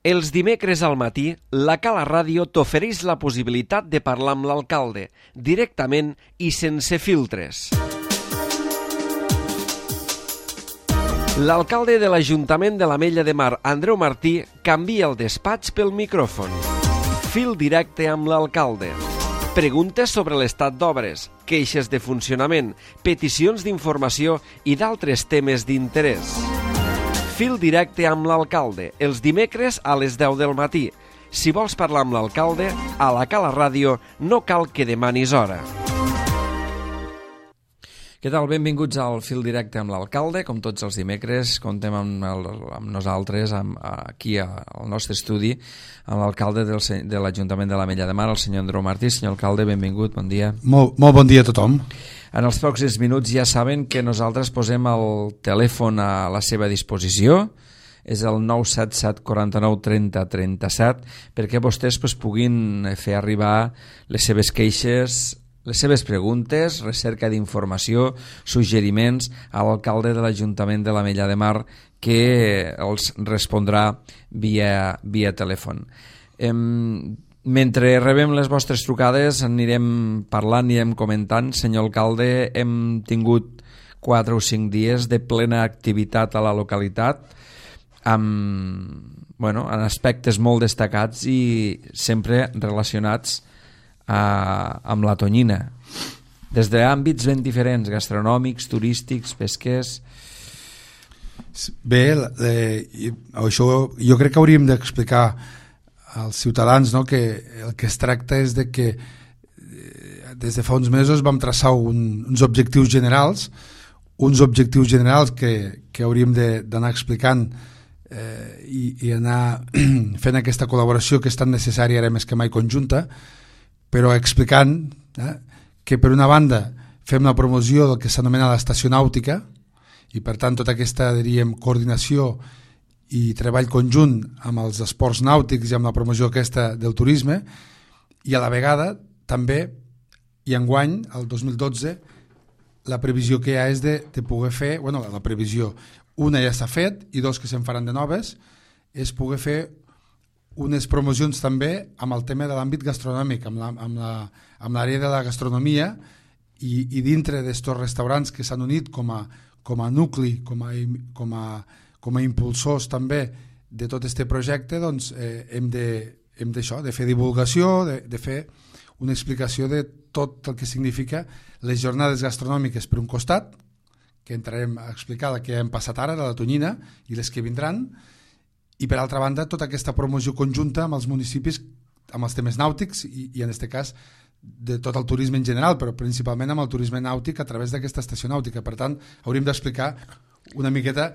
Els dimecres al matí, la Cala Ràdio t'ofereix la possibilitat de parlar amb l'alcalde, directament i sense filtres. L'alcalde de l'Ajuntament de l'Ametlla de Mar, Andreu Martí, canvia el despatx pel micròfon. Fil directe amb l'alcalde. Preguntes sobre l'estat d'obres, queixes de funcionament, peticions d'informació i d'altres temes d'interès. Fil directe amb l'alcalde, els dimecres a les 10 del matí. Si vols parlar amb l'alcalde, a la Cala Ràdio no cal que demanis hora. Què tal? Benvinguts al Fil Directe amb l'alcalde. Com tots els dimecres, contem amb nosaltres, aquí al nostre estudi, amb l'alcalde de l'Ajuntament de l'Ametlla de Mar, el senyor Andreu Martí. Senyor alcalde, benvingut, bon dia. Molt bon dia a tothom. En els pròxims minuts ja saben que nosaltres posem el telèfon a la seva disposició, és el 977 49 30 37, perquè vostès puguin fer arribar les seves queixes, les seves preguntes, recerca d'informació, suggeriments a l'alcalde de l'Ajuntament de l'Ametlla de Mar, que els respondrà via telèfon. Mentre rebem les vostres trucades anirem parlant, anirem comentant. Senyor alcalde, hem tingut 4 o 5 dies de plena activitat a la localitat, en aspectes molt destacats i sempre relacionats amb la tonyina, des d'àmbits ben diferents, gastronòmics, turístics, pesquers. Bé, això jo crec que hauríem d'explicar als ciutadans, no, que el que es tracta és de que des de fa uns mesos vam traçar uns objectius generals que hauríem d'anar explicant i anar fent aquesta col·laboració que és tan necessària ara més que mai conjunta, però explicant que per una banda fem la promoció del que s'anomena l'estació nàutica i per tant tota aquesta, diríem, coordinació i treball conjunt amb els esports nàutics i amb la promoció aquesta del turisme, i a la vegada també, i enguany, el 2012, la previsió que hi ha és de poder fer, la previsió, una ja s'ha fet i 2 que se'n faran de noves, és poder fer unes promocions també amb el tema de l'àmbit gastronòmic, amb l'àrea de la gastronomia i dintre d'estos restaurants que s'han unit com a nucli, com a impulsors també de tot aquest projecte, doncs hem de fer divulgació, de fer una explicació de tot el que significa les jornades gastronòmiques per un costat, que entrarem a explicar la que hem passat ara, la tonyina, i les que vindran, i per altra banda tota aquesta promoció conjunta amb els municipis, amb els temes nàutics i en aquest cas de tot el turisme en general, però principalment amb el turisme nàutic a través d'aquesta estació nàutica. Per tant, hauríem d'explicar una miqueta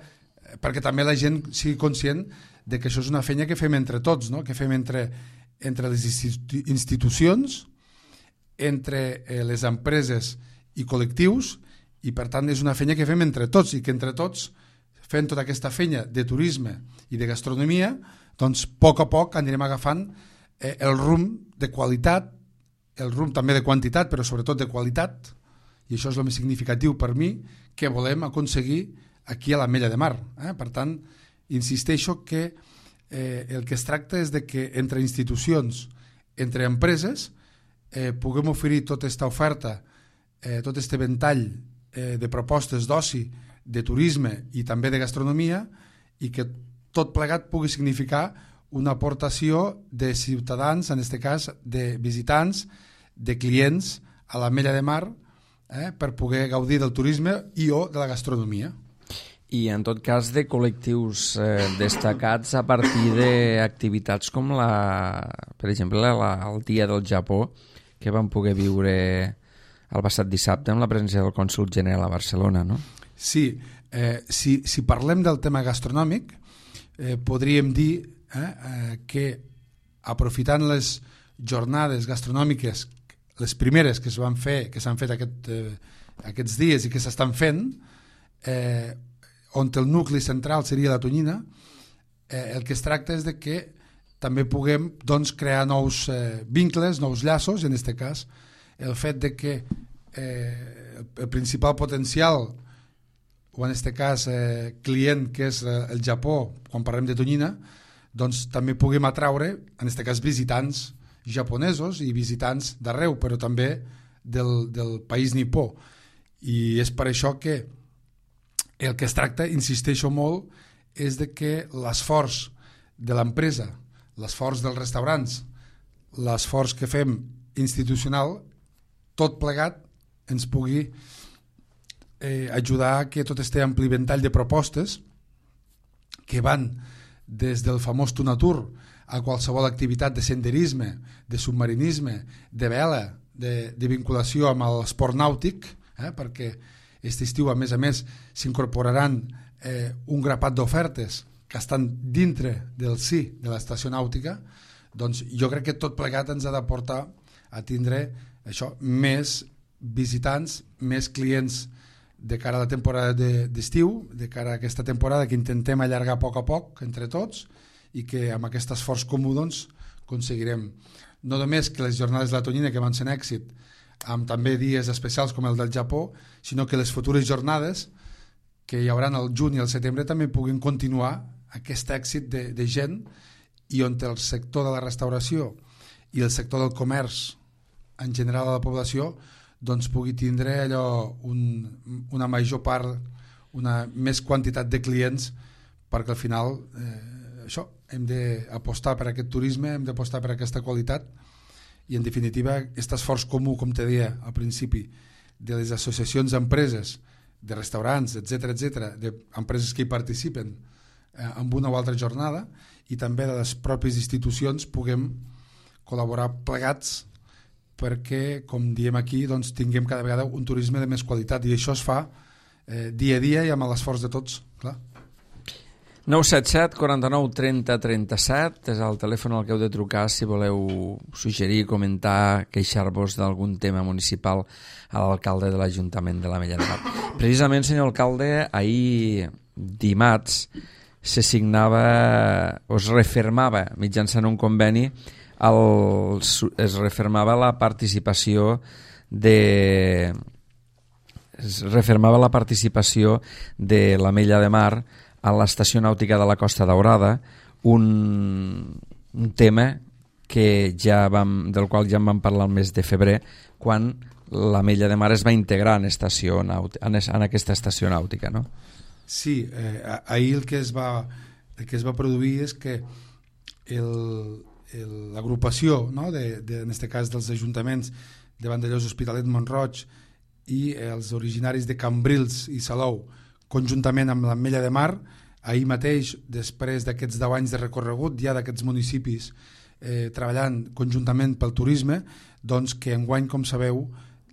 perquè també la gent sigui conscient de que això és una feina que fem entre tots, no? Que fem entre les institucions, entre les empreses i col·lectius, i per tant és una feina que fem entre tots i que entre tots fent tota aquesta feina de turisme i de gastronomia, doncs a poc anirem agafant el rumb de qualitat, el rumb també de quantitat, però sobretot de qualitat, i això és el més significatiu per mi, que volem aconseguir aquí a l'Ametlla de Mar. Per tant, insisteixo que el que es tracta és de que entre institucions, entre empreses, puguem oferir tota aquesta oferta, tot aquest ventall de propostes d'oci, de turisme i també de gastronomia, i que tot plegat pugui significar una aportació de ciutadans, en aquest cas de visitants, de clients a l'Ametlla de Mar, per poder gaudir del turisme i o de la gastronomia. I en tot cas de col·lectius destacats a partir d'activitats com per exemple el Dia del Japó, que vam poder viure el passat dissabte amb la presència del cònsol general a Barcelona, no? Sí, si parlem del tema gastronòmic, podríem dir que aprofitant les jornades gastronòmiques, les primeres que s'han fet aquests dies i que s'estan fent, on el nucli central seria la tonyina, el que es tracta és de que també puguem crear nous vincles, nous llaços, i en aquest cas el fet de que el principal potencial o en aquest cas client que és el Japó, quan parlem de tonyina, doncs també puguem atraure, en aquest cas, visitants japonesos i visitants d'arreu, però també del país nipó. I és per això que el que es tracta, insisteixo molt, és de que l'esforç de l'empresa, l'esforç dels restaurants, l'esforç que fem institucional, tot plegat ens pugui ajudar a que tot este ampli ventall de propostes que van des del famós Tunatur a qualsevol activitat de senderisme, de submarinisme, de vela, de vinculació amb l'esport nàutic, perquè aquest estiu a més s'incorporaran un grapat d'ofertes que estan dintre del sí de l'estació nàutica, doncs jo crec que tot plegat ens ha de portar a tindre això, més visitants, més clients de cara a la temporada d'estiu, de cara a aquesta temporada que intentem allargar a poc entre tots i que amb aquest esforç comú doncs, aconseguirem no només que les jornades de la Tonyina, que van ser un èxit, amb també dies especials com el del Japó, sinó que les futures jornades que hi haurà al juny i al setembre també puguin continuar aquest èxit de gent, i on el sector de la restauració i el sector del comerç en general a la població doncs pugui tindre allò una major part, una més quantitat de clients, perquè al final això, hem d'apostar per aquest turisme, hem d'apostar per aquesta qualitat i en definitiva aquest esforç comú, com te deia al principi, de les associacions d'empreses, de restaurants, etc, d'empreses que hi participen en una o altra jornada, i també de les pròpies institucions puguem col·laborar plegats perquè, com diem aquí, doncs, tinguem cada vegada un turisme de més qualitat, i això es fa dia a dia i amb l'esforç de tots, clar. 977 49 30 37 és el telèfon al que heu de trucar si voleu suggerir, comentar, queixar-vos d'algun tema municipal a l'alcalde de l'Ajuntament de l'Ametlla de Mar. Precisament, senyor alcalde, ahir dimarts se signava o es refermava mitjançant un conveni es refermava la participació de l'Ametlla de Mar a l'estació nàutica de la Costa Daurada, un tema del qual ja en vam parlar el mes de febrer, quan l'Ametlla de Mar es va integrar en aquesta estació nàutica, no? Sí, ahir el que es va produir és que l'agrupació, no, en aquest cas dels ajuntaments de Vandellòs, Hospitalet, Mont-roig i els originaris de Cambrils i Salou, conjuntament amb l'Ametlla de Mar, ahir mateix, després d'aquests 10 anys de recorregut ja d'aquests municipis treballant conjuntament pel turisme, doncs que enguany, com sabeu,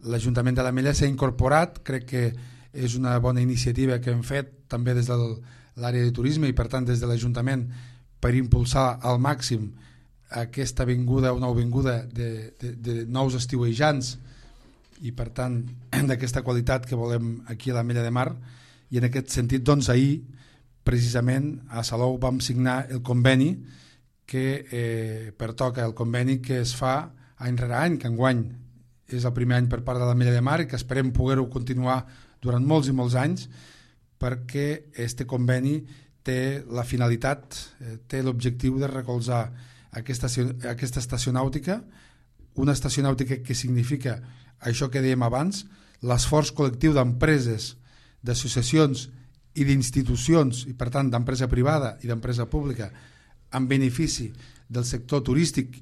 l'Ajuntament de l'Ametlla s'ha incorporat. Crec que és una bona iniciativa que hem fet també des de l'àrea de turisme i per tant des de l'Ajuntament per impulsar al màxim aquesta vinguda, una vinguda de nous estiuejants i per tant d'aquesta qualitat que volem aquí a l'Ametlla de Mar. I en aquest sentit, doncs, ahir precisament a Salou vam signar el conveni que pertoca, el conveni que es fa any rere any, que enguany és el primer any per part de l'Ametlla de Mar i que esperem poder-ho continuar durant molts i molts anys, perquè este conveni té la finalitat, té l'objectiu de recolzar aquesta estació nàutica, una estació nàutica que significa això que dèiem abans, l'esforç col·lectiu d'empreses, d'associacions i d'institucions, i per tant d'empresa privada i d'empresa pública, en benefici del sector turístic,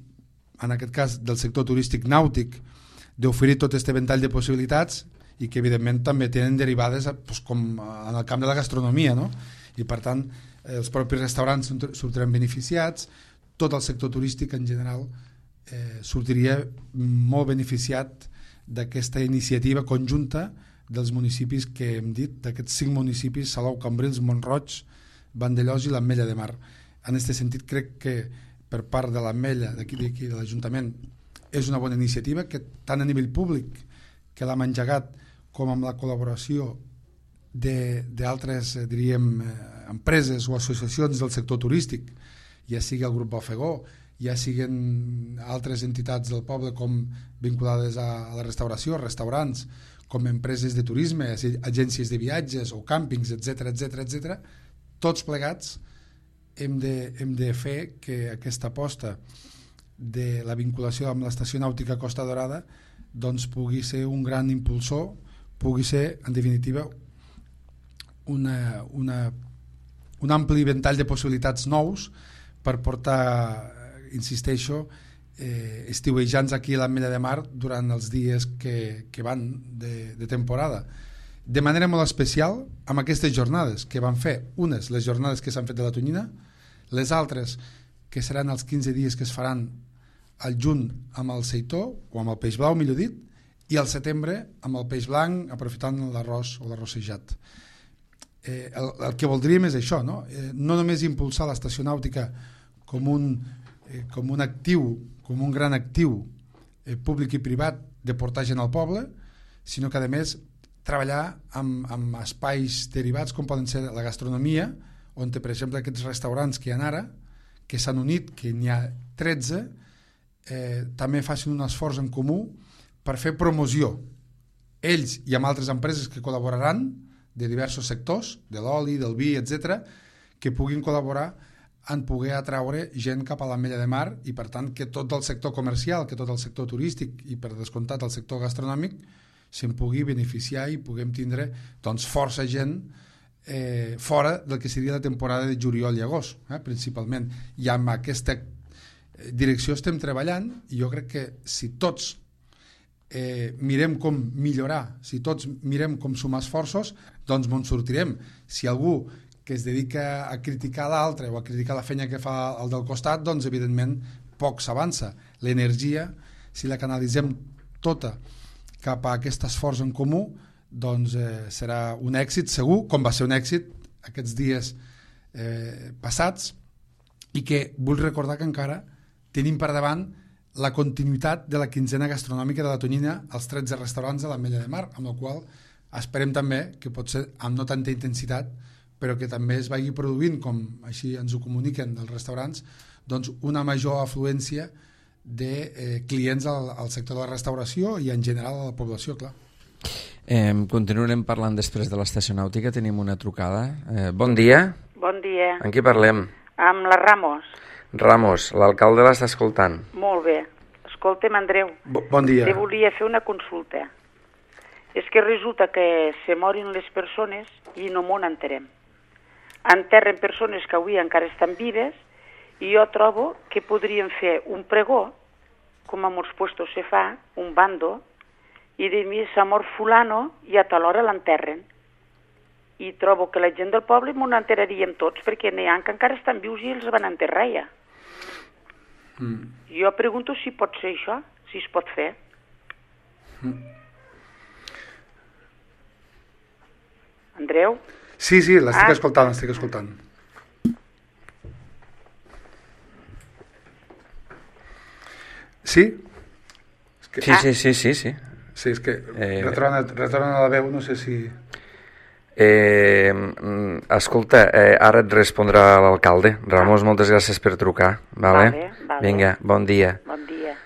en aquest cas del sector turístic nàutic, d'oferir tot aquest ventall de possibilitats i que evidentment també tenen derivades com en el camp de la gastronomia, no? I per tant els propis restaurants sortiran beneficiats, tot el sector turístic en general sortiria molt beneficiat d'aquesta iniciativa conjunta dels municipis que hem dit, d'aquests 5 municipis, Salou, Cambrils, Mont-roig, Vandellòs i l'Ametlla de Mar. En aquest sentit crec que per part de l'Ametlla, d'aquí de l'Ajuntament, és una bona iniciativa que tant a nivell públic, que l'hem engegat, com amb la col·laboració d'altres, diríem, empreses o associacions del sector turístic, ja sigui el grup Bofegó, ja siguin altres entitats del poble com vinculades a la restauració, restaurants, com empreses de turisme, agències de viatges o càmpings, etc, tots plegats hem de fer que aquesta aposta de la vinculació amb l'estació nàutica Costa Dorada doncs pugui ser un gran impulsor, pugui ser, en definitiva, un ampli ventall de possibilitats nous per portar, insisteixo, estiuejants aquí a l'Ametlla de Mar durant els dies que van de temporada. De manera molt especial amb aquestes jornades que van fer, unes les jornades que s'han fet de la Tonyina, les altres que seran els 15 dies que es faran al juny amb el seitó o amb el peix blau, millor dit, i al setembre amb el peix blanc aprofitant l'arròs o l'arrossejat. El que voldríem és això, no? No només impulsar l'estació nàutica com un actiu, com un gran actiu públic i privat de portar gent al poble, sinó que a més treballar amb espais derivats com poden ser la gastronomia, on per exemple aquests restaurants que hi ha ara, que s'han unit, que n'hi ha 13, també facin un esforç en comú per fer promoció, ells i amb altres empreses que col·laboraran de diversos sectors, de l'oli, del vi, etc., que puguin col·laborar en poder atraure gent cap a l'Ametlla de Mar i per tant que tot el sector comercial, que tot el sector turístic i per descomptat el sector gastronòmic se'n pugui beneficiar i puguem tindre doncs, força gent fora del que seria la temporada de juliol i agost, principalment. I amb aquesta direcció estem treballant i jo crec que si tots mirem com millorar, si tots mirem com sumar esforços, doncs ens sortirem. Si algú que es dedica a criticar l'altre o a criticar la feina que fa el del costat, doncs evidentment poc s'avança. L'energia, si la canalitzem tota cap a aquest esforç en comú, doncs serà un èxit segur, com va ser un èxit aquests dies passats, i que vull recordar que encara tenim per davant la continuïtat de la quinzena gastronòmica de la Tonyina als 13 restaurants de l'Ametlla de Mar, amb el qual esperem també que pot ser amb no tanta intensitat, però que també es vagi produint, com així ens ho comuniquen els restaurants, doncs una major afluència de clients al sector de la restauració i en general a la població, clar. Continuarem parlant després de l'estació nàutica. Tenim una trucada. Bon dia. Bon dia. Amb qui parlem? Amb la Ramos. Ramos, l'alcalde l'està escoltant. Molt bé. Escolta'm, Andreu. Bon dia. Te volia fer una consulta. És que resulta que se morin les persones i no m'ho enterem. Enterren persones que avui encara estan vives i jo trobo que podríem fer un pregó, com a molts puestos se fa, un bando, i de mi s'ha mort fulano i a tal hora l'enterren. I trobo que la gent del poble m'ho enteraríem tots, perquè n'hi ha que encara estan vius i els van enterrar ja. Jo pregunto si pot ser això, si es pot fer. Andreu? Sí, l'estic escoltant. Sí? Sí. Sí, és que retorna a la veu, no sé si... Escolta, ara et respondrà l'alcalde. Ramos, moltes gràcies per trucar. Vale. Vinga, bon dia. Bon dia.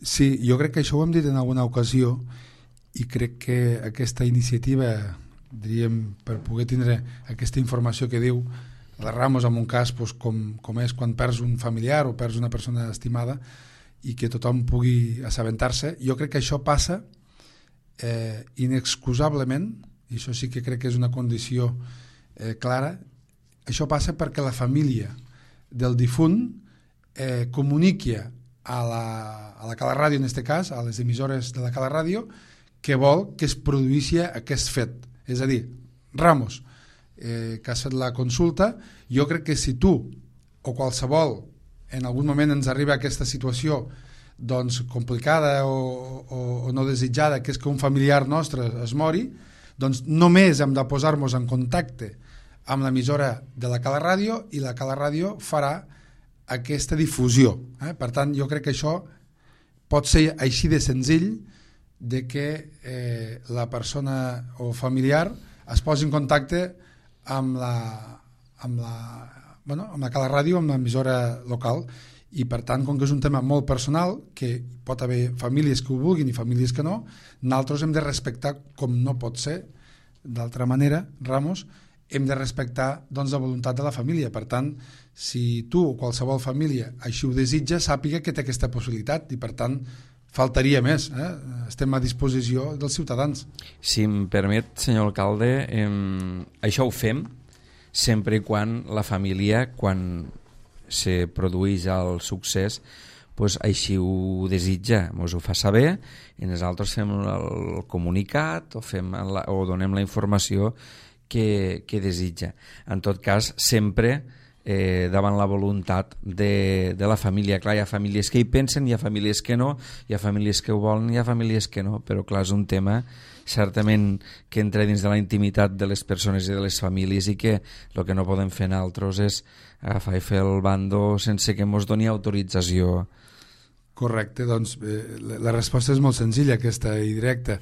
Sí, jo crec que això ho hem dit en alguna ocasió i crec que aquesta iniciativa, diríem, per poder tindre aquesta informació que diu la Ramos en un cas com és quan perds un familiar o perds una persona estimada i que tothom pugui assabentar-se, jo crec que això passa inexcusablement, i això sí que crec que és una condició clara, això passa perquè la família del difunt comuniqui a la Cala Ràdio, en aquest cas, a les emissores de la Cala Ràdio, que vol que es produïssi aquest fet. És a dir, Ramos, que has fet la consulta, jo crec que si tu o qualsevol en algun moment ens arriba aquesta situació doncs complicada o no desitjada, que és que un familiar nostre es mori, doncs només hem de posar-nos en contacte amb l'emissora de la Cala Ràdio i la Cala Ràdio farà aquesta difusió. Per tant, jo crec que això pot ser així de senzill, de que la persona o familiar es posi en contacte amb la Cala Ràdio, amb l'emissora local, i per tant, com que és un tema molt personal, que pot haver famílies que ho vulguin i famílies que no, nosaltres hem de respectar, com no pot ser d'altra manera, Ramos, hem de respectar doncs, la voluntat de la família. Per tant, si tu o qualsevol família així ho desitja, sàpiga que té aquesta possibilitat i, per tant, faltaria més. Estem a disposició dels ciutadans. Si em permet, senyor alcalde, això ho fem sempre i quan la família, quan se produeix el succés, pues així ho desitja, ens ho fa saber i nosaltres fem el comunicat o donem la informació que desitja. En tot cas, sempre davant la voluntat de la família. Clar, hi ha famílies que hi pensen, hi ha famílies que no, hi ha famílies que ho volen, hi ha famílies que no, però clar, és un tema certament que entra dins de la intimitat de les persones i de les famílies i que el que no podem fer nosaltres és agafar i fer el bando sense que ens doni autorització. Correcte, doncs la resposta és molt senzilla, aquesta i directa.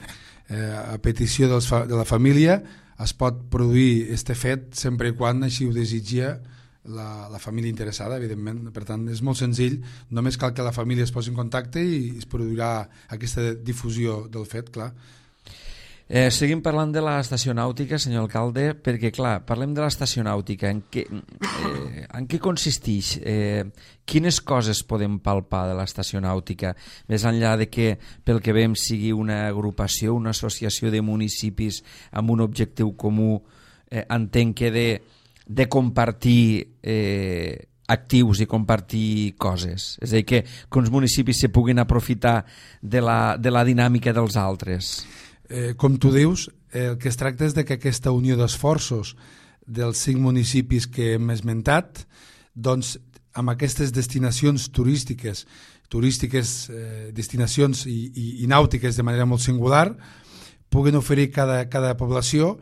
A petició de la família es pot produir este fet sempre i quan així ho desitja la família interessada, evidentment. Per tant, és molt senzill, només cal que la família es posi en contacte i es produirà aquesta difusió del fet, clar. Seguim parlant de l'estació nàutica, senyor alcalde, perquè, clar, parlem de l'estació nàutica. En què consisteix? Quines coses podem palpar de l'estació nàutica? Més enllà de que, pel que veiem, sigui una agrupació, una associació de municipis amb un objectiu comú, entenc que de compartir actius i compartir coses. És a dir, que uns municipis se puguin aprofitar de la dinàmica dels altres. Com tu dius, el que es tracta és de que aquesta unió d'esforços dels 5 municipis que hem esmentat, doncs amb aquestes destinacions turístiques, destinacions i nàutiques de manera molt singular, puguen oferir cada població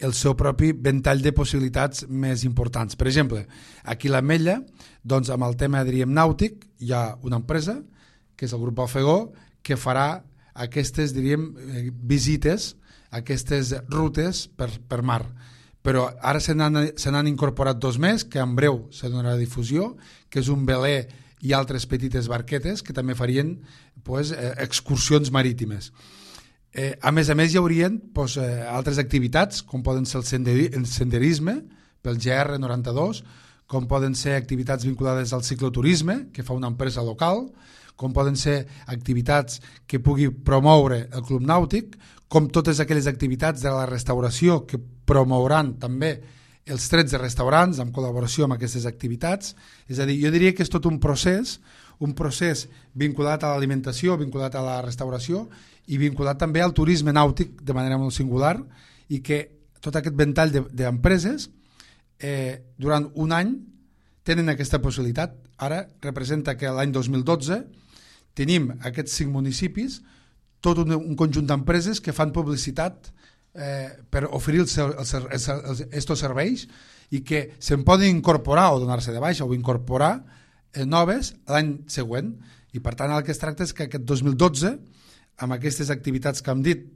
el seu propi ventall de possibilitats més importants. Per exemple, aquí a l'Ametlla, doncs amb el tema, diríem, nàutic, hi ha una empresa, que és el grup Alfegó, que farà aquestes, diríem, visites, aquestes rutes per mar. Però ara se n'han incorporat 2 més, que en breu se donarà difusió, que és un veler i altres petites barquetes que també farien excursions marítimes. A més, hi haurien altres activitats, com poden ser el senderisme, pel GR92, com poden ser activitats vinculades al cicloturisme, que fa una empresa local, com poden ser activitats que pugui promoure el Club Nàutic, com totes aquelles activitats de la restauració que promouran també els 13 restaurants en col·laboració amb aquestes activitats. És a dir, jo diria que és tot un procés vinculat a l'alimentació, vinculat a la restauració i vinculat també al turisme nàutic de manera molt singular, i que tot aquest ventall d'empreses durant un any tenen aquesta possibilitat. Ara representa que l'any 2012 tenim aquests 5 municipis, tot un conjunt d'empreses que fan publicitat per oferir estos serveis i que se'n poden incorporar o donar-se de baixa o incorporar noves l'any següent. I per tant el que es tracta és que aquest 2012, amb aquestes activitats que hem dit,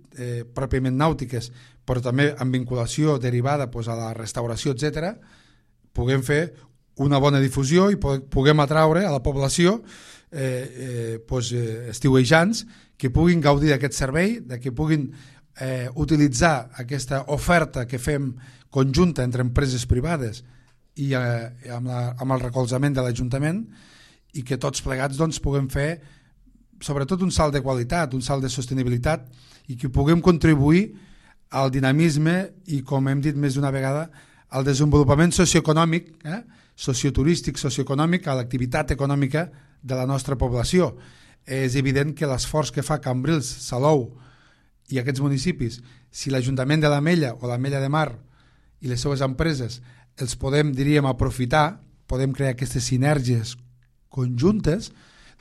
pròpiament nàutiques, però també amb vinculació derivada a la restauració, etc., puguem fer una bona difusió i puguem atraure a la població estiuejants que puguin gaudir d'aquest servei, que puguin utilitzar aquesta oferta que fem conjunta entre empreses privades i amb el recolzament de l'Ajuntament, i que tots plegats puguem fer sobretot un salt de qualitat, un salt de sostenibilitat, i que puguem contribuir al dinamisme i, com hem dit més d'una vegada, al desenvolupament socioeconòmic, socioturístic, socioeconòmic, a l'activitat econòmica de la nostra població. És evident que l'esforç que fa Cambrils, Salou i aquests municipis, si l'Ajuntament de l'Ametlla o l'Ametlla de Mar i les seues empreses els podem, diríem, aprofitar, podem crear aquestes sinergies conjuntes,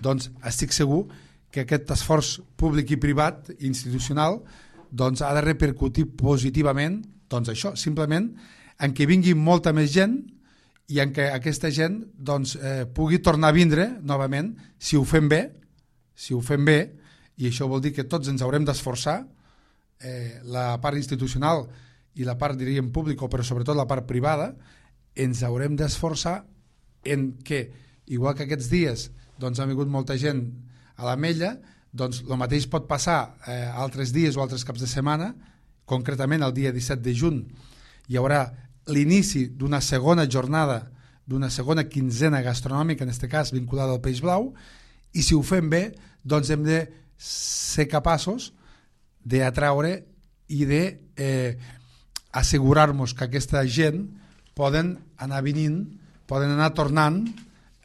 doncs estic segur que aquest esforç públic i privat i institucional ha de repercutir positivament, això, simplement en què vingui molta més gent i en què aquesta gent pugui tornar a vindre novament si ho fem bé, i això vol dir que tots ens haurem d'esforçar, la part institucional i la part, diríem, pública, però sobretot la part privada, ens haurem d'esforçar en que, igual que aquests dies ha vingut molta gent a l'Ametlla, el mateix pot passar altres dies o altres caps de setmana. Concretament el dia 17 de juny hi haurà l'inici d'una segona jornada, d'una segona quinzena gastronòmica, en aquest cas vinculada al peix blau, i si ho fem bé, doncs hem de ser capaços d'atraure i d'assegurar-nos que aquesta gent poden anar venint, poden anar tornant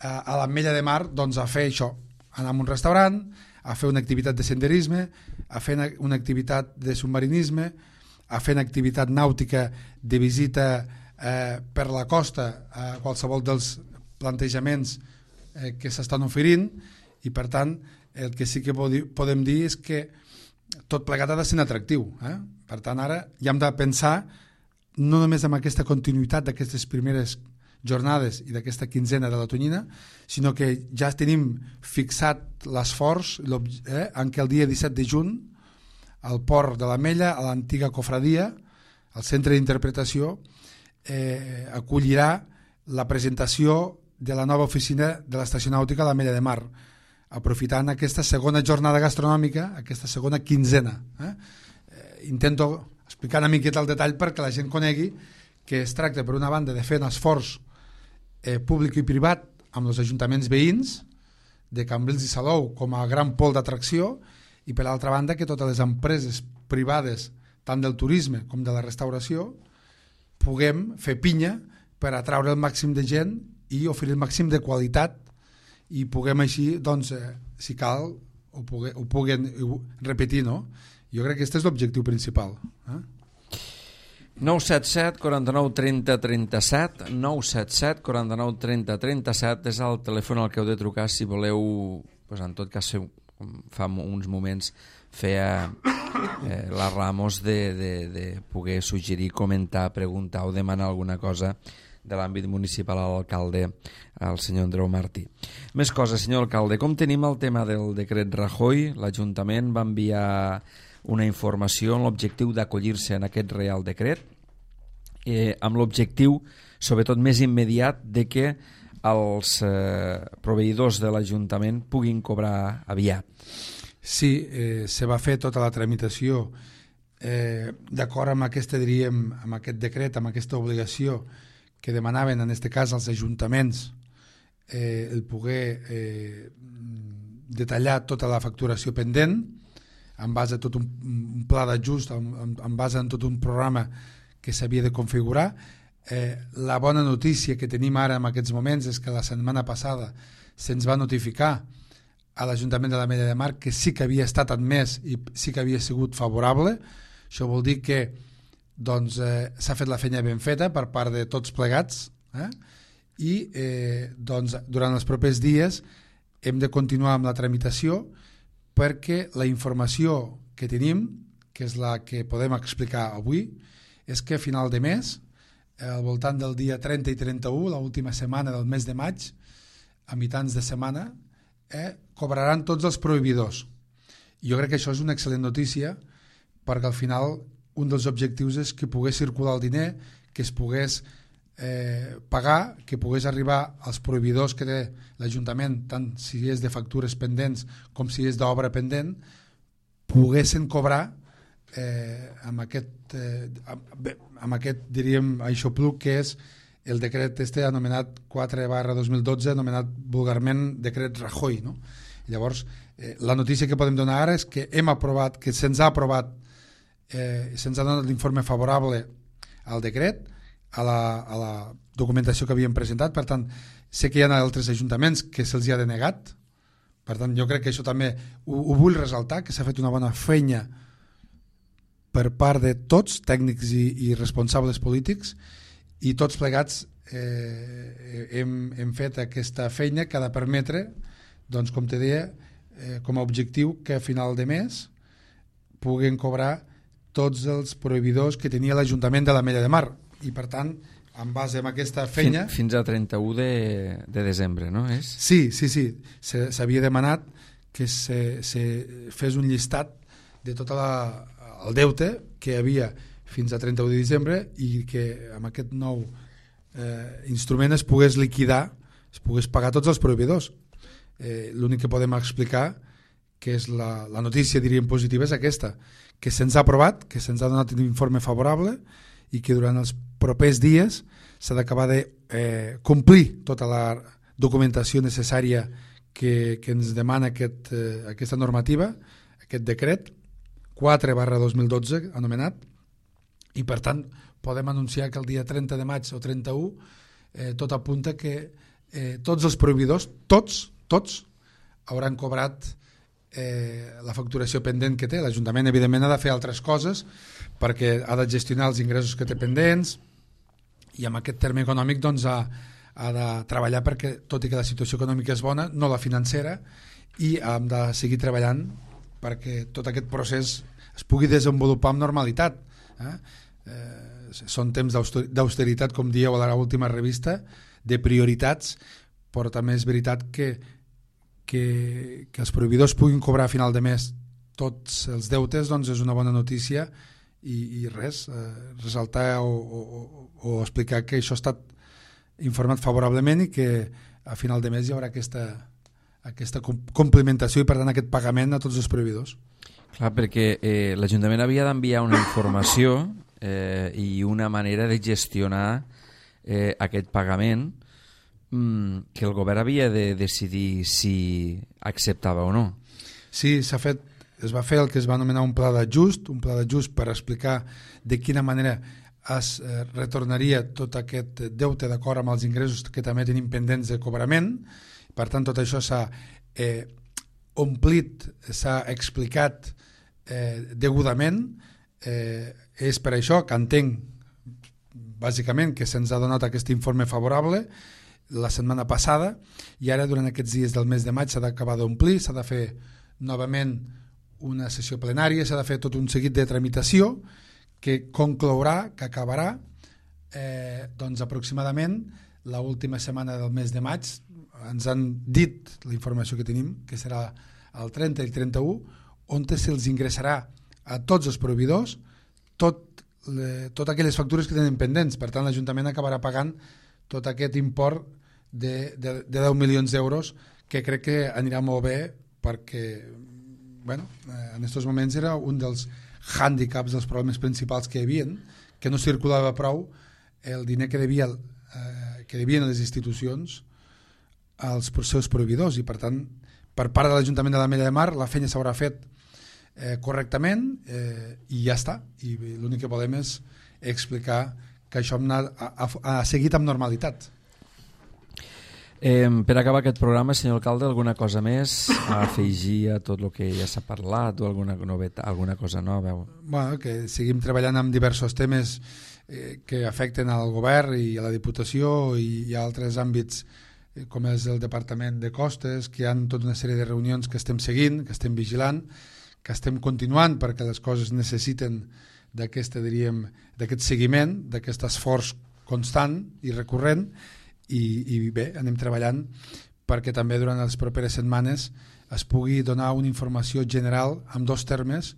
a l'Ametlla de Mar, doncs a fer això, anar a un restaurant, a fer una activitat de senderisme, a fer una activitat de submarinisme, a fer una activitat nàutica de visita per la costa a qualsevol dels plantejaments que s'estan oferint, i per tant el que sí que podem dir és que tot plegat ha de ser atractiu. Per tant, ara ja hem de pensar no només en aquesta continuïtat d'aquestes primeres jornades i d'aquesta quinzena de la Tonyina, sinó que ja tenim fixat l'esforç en què el dia 17 de juny al port de l'Ametlla, a l'antiga cofradia, al centre d'interpretació, acollirà la presentació de la nova oficina de l'estació nàutica a l'Ametlla de Mar, aprofitant aquesta segona jornada gastronòmica, aquesta segona quinzena. Intento explicar una miqueta el detall perquè la gent conegui que es tracta, per una banda, de fer un esforç públic i privat amb els ajuntaments veïns de Cambrils i Salou com a gran pol d'atracció, i per l'altra banda que totes les empreses privades, tant del turisme com de la restauració, puguem fer pinya per atraure el màxim de gent i oferir el màxim de qualitat, i puguem així, doncs, si cal, ho puguen repetir, no? Jo crec que aquest és l'objectiu principal. 977 49 30 37, 977 49 30 37 és el telèfon al que heu de trucar si voleu, doncs, en tot cas, fa uns moments feia la Ramos de poder suggerir, comentar, preguntar o demanar alguna cosa de l'àmbit municipal a l'alcalde, al senyor Andreu Martí. Més coses, senyor alcalde, com tenim el tema del decret Rajoy? L'Ajuntament va enviar una informació amb l'objectiu d'acollir-se en aquest Real Decret, amb l'objectiu, sobretot més immediat, de que els proveïdors de l'Ajuntament puguin cobrar aviat. Sí, se va fer tota la tramitació d'acord amb amb aquest decret, amb aquesta obligació que demanaven, en aquest cas, als ajuntaments el poder detallar tota la facturació pendent en base a tot un pla d'ajust, en base a tot un programa que s'havia de configurar. La bona notícia que tenim ara en aquests moments és que la setmana passada se'ns va notificar a l'Ajuntament de l'Ametlla de Mar que sí que havia estat admès i sí que havia sigut favorable. Això vol dir que doncs, s'ha fet la feina ben feta per part de tots plegats, i doncs, durant els propers dies hem de continuar amb la tramitació perquè la informació que tenim, que és la que podem explicar avui, és que a final de mes, al voltant del dia 30 i 31, l'última setmana del mes de maig, a mitjans de setmana, cobraran tots els proveïdors. Jo crec que això és una excel·lent notícia perquè al final un dels objectius és que pogués circular el diner, que es pogués pagar, que pogués arribar als proveïdors que té l'Ajuntament, tant si és de factures pendents com si és d'obra pendent, poguessin cobrar amb aquest diríem, aixopluc que és el decret anomenat 4/2012, anomenat vulgarment decret Rajoy, no? Llavors, la notícia que podem donar ara és que hem aprovat, que se'ns ha aprovat, se'ns ha donat l'informe favorable al decret, a la documentació que havíem presentat. Per tant, sé que hi ha altres ajuntaments que se'ls ha denegat, per tant jo crec que això també ho vull ressaltar, que s'ha fet una bona feina per part de tots, tècnics i responsables polítics, i tots plegats hem fet aquesta feina que ha de permetre, doncs, com te deia, com a objectiu que a final de mes puguen cobrar tots els proveïdors que tenia l'Ajuntament de l'Ametlla de Mar, i per tant, en base a aquesta feina... Fins a 31 de desembre, no? És? Sí. S'havia demanat que se fes un llistat de tot el deute que hi havia fins a 31 de desembre i que amb aquest nou instrument es pogués liquidar, es pogués pagar tots els proveïdors. L'únic que podem explicar, que és la notícia, diríem, positiva, és aquesta, que se'ns ha aprovat, que se'ns ha donat un informe favorable i que durant els propers dies s'ha d'acabar de complir tota la documentació necessària que ens demana aquesta normativa, aquest decret 4/2012 anomenat, i per tant podem anunciar que el dia 30 de maig o 31 tot apunta que tots els proveïdors, tots hauran cobrat la facturació pendent que té. L'Ajuntament evidentment ha de fer altres coses perquè ha de gestionar els ingressos que té pendents i amb aquest terme econòmic doncs ha de treballar perquè, tot i que la situació econòmica és bona, no la financera, i hem de seguir treballant perquè tot aquest procés es pugui desenvolupar amb normalitat. Són temps d'austeritat, com dieu a l'última revista, de prioritats, però també és veritat que els proveïdors puguin cobrar a final de mes tots els deutes, doncs és una bona notícia, i res, ressaltar o explicar que això ha estat informat favorablement i que a final de mes hi haurà aquesta complementació i per tant aquest pagament a tots els proveïdors. Clar, perquè l'Ajuntament havia d'enviar una informació i una manera de gestionar aquest pagament que el govern havia de decidir si acceptava o no. Sí, es va fer el que es va anomenar un pla d'ajust per explicar de quina manera es retornaria tot aquest deute d'acord amb els ingressos que també tenim pendents de cobrament. Per tant, tot això s'ha omplit, s'ha explicat degudament. És per això que entenc bàsicament que se'ns ha donat aquest informe favorable la setmana passada, i ara durant aquests dies del mes de maig s'ha d'acabar d'omplir, s'ha de fer novament una sessió plenària, s'ha de fer tot un seguit de tramitació que conclourà, que acabarà doncs aproximadament l'última setmana del mes de maig. Ens han dit la informació que tenim, que serà el 30 i el 31, on se'ls ingressarà a tots els proveïdors totes aquelles factures que tenen pendents. Per tant, l'Ajuntament acabarà pagant tot aquest import de 10 milions d'euros, que crec que anirà molt bé perquè en aquests moments era un dels hàndicaps, dels problemes principals que hi havia, que no circulava prou el diner que devien les institucions als seus proveïdors, i per tant per part de l'Ajuntament de l'Ametlla de Mar la feina s'haurà fet correctament i ja està, i l'únic que volem és explicar que això ha seguit amb normalitat. Per acabar aquest programa, senyor alcalde, alguna cosa més a afegir a tot el que ja s'ha parlat o alguna novetat, alguna cosa nova? Que seguim treballant amb diversos temes que afecten al govern i a la Diputació i a altres àmbits com és el Departament de Costes, que hi ha tota una sèrie de reunions que estem seguint, que estem vigilant, que estem continuant perquè les coses necessiten d'aquest seguiment, d'aquest esforç constant i recurrent, i bé, anem treballant perquè també durant les properes setmanes es pugui donar una informació general amb dos temes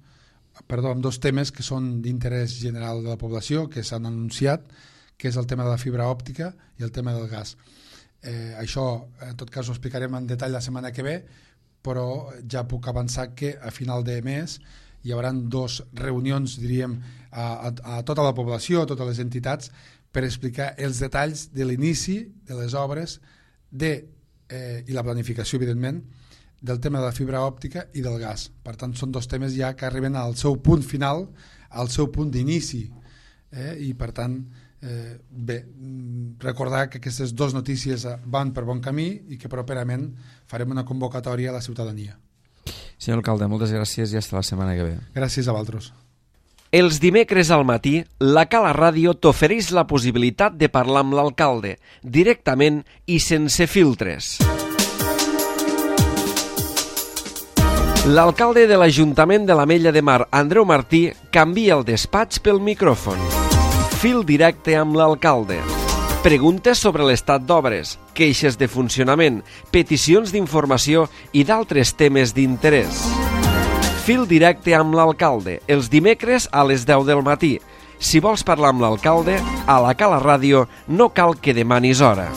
que són d'interès general de la població, que s'han anunciat, que és el tema de la fibra òptica i el tema del gas. Això, en tot cas, ho explicarem en detall la setmana que ve, però ja puc avançar que a final de mes hi haurà 2 reunions, diríem, a tota la població, a totes les entitats, per explicar els detalls de l'inici de les obres i la planificació, evidentment, del tema de la fibra òptica i del gas. Per tant, són 2 temes ja que arriben al seu punt final, al seu punt d'inici. I, per tant, bé, recordar que aquestes 2 notícies van per bon camí i que properament farem una convocatòria a la ciutadania. Senyor alcalde, moltes gràcies i fins la setmana que ve. Gràcies a vosaltres. Els dimecres al matí, la Cala Ràdio t'ofereix la possibilitat de parlar amb l'alcalde, directament i sense filtres. L'alcalde de l'Ajuntament de l'Ametlla de Mar, Andreu Martí, canvia el despatx pel micròfon. Fil directe amb l'alcalde. Preguntes sobre l'estat d'obres, queixes de funcionament, peticions d'informació i d'altres temes d'interès. Fil directe amb l'alcalde, els dimecres a les 10 del matí. Si vols parlar amb l'alcalde, a la Cala Ràdio no cal que demanis hora.